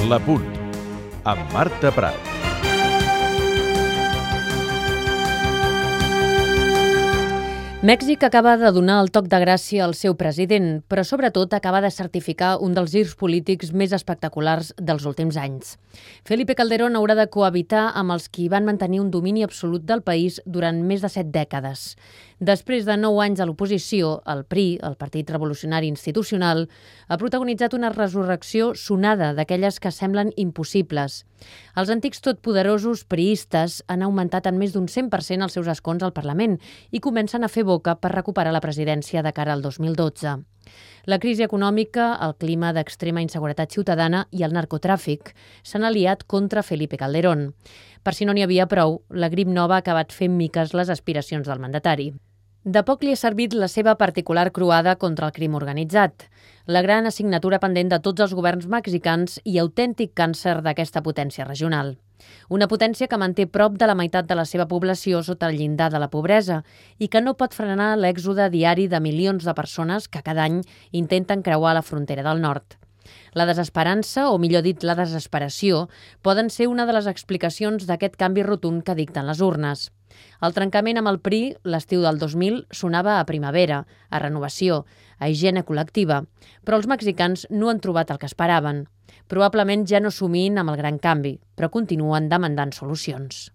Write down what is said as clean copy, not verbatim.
La Punt, amb Marta Prat. Mèxic acaba de donar el toc de gràcia al seu president, però sobretot acaba de certificar un dels girs polítics més espectaculars dels últims anys. Felipe Calderón haurà de cohabitar amb els qui van mantenir un domini absolut del país durant més de 7 dècades. Després de 9 anys a l'oposició, el PRI, el Partit Revolucionari Institucional, ha protagonitzat una resurrecció sonada d'aquelles que semblen impossibles. Els antics totpoderosos priistes han augmentat en més d'un 100% els seus escons al Parlament i comencen a fer boca per recuperar la presidència de cara al 2012. La crisi econòmica, el clima d'extrema inseguretat ciutadana i el narcotràfic s'han aliat contra Felipe Calderón. Per si no n'hi havia prou, la grip nova ha acabat fent miques les aspiracions del mandatari. De poc li ha servit la seva particular croada contra el crim organitzat, la gran assignatura pendent de tots els governs mexicans i autèntic càncer d'aquesta potència regional. Una potència que manté prop de la meitat de la seva població sota el llindar de la pobresa i que no pot frenar l'èxode diari de milions de persones que cada any intenten creuar la frontera del nord. La desesperança, o millor dit, la desesperació, poden ser una de les explicacions d'aquest canvi rotund que dicten les urnes. El trencament amb el PRI, l'estiu del 2000, sonava a primavera, a renovació, a higiene col·lectiva, però els mexicans no han trobat el que esperaven. Probablement ja no somin amb el gran canvi, però continuen demandant solucions.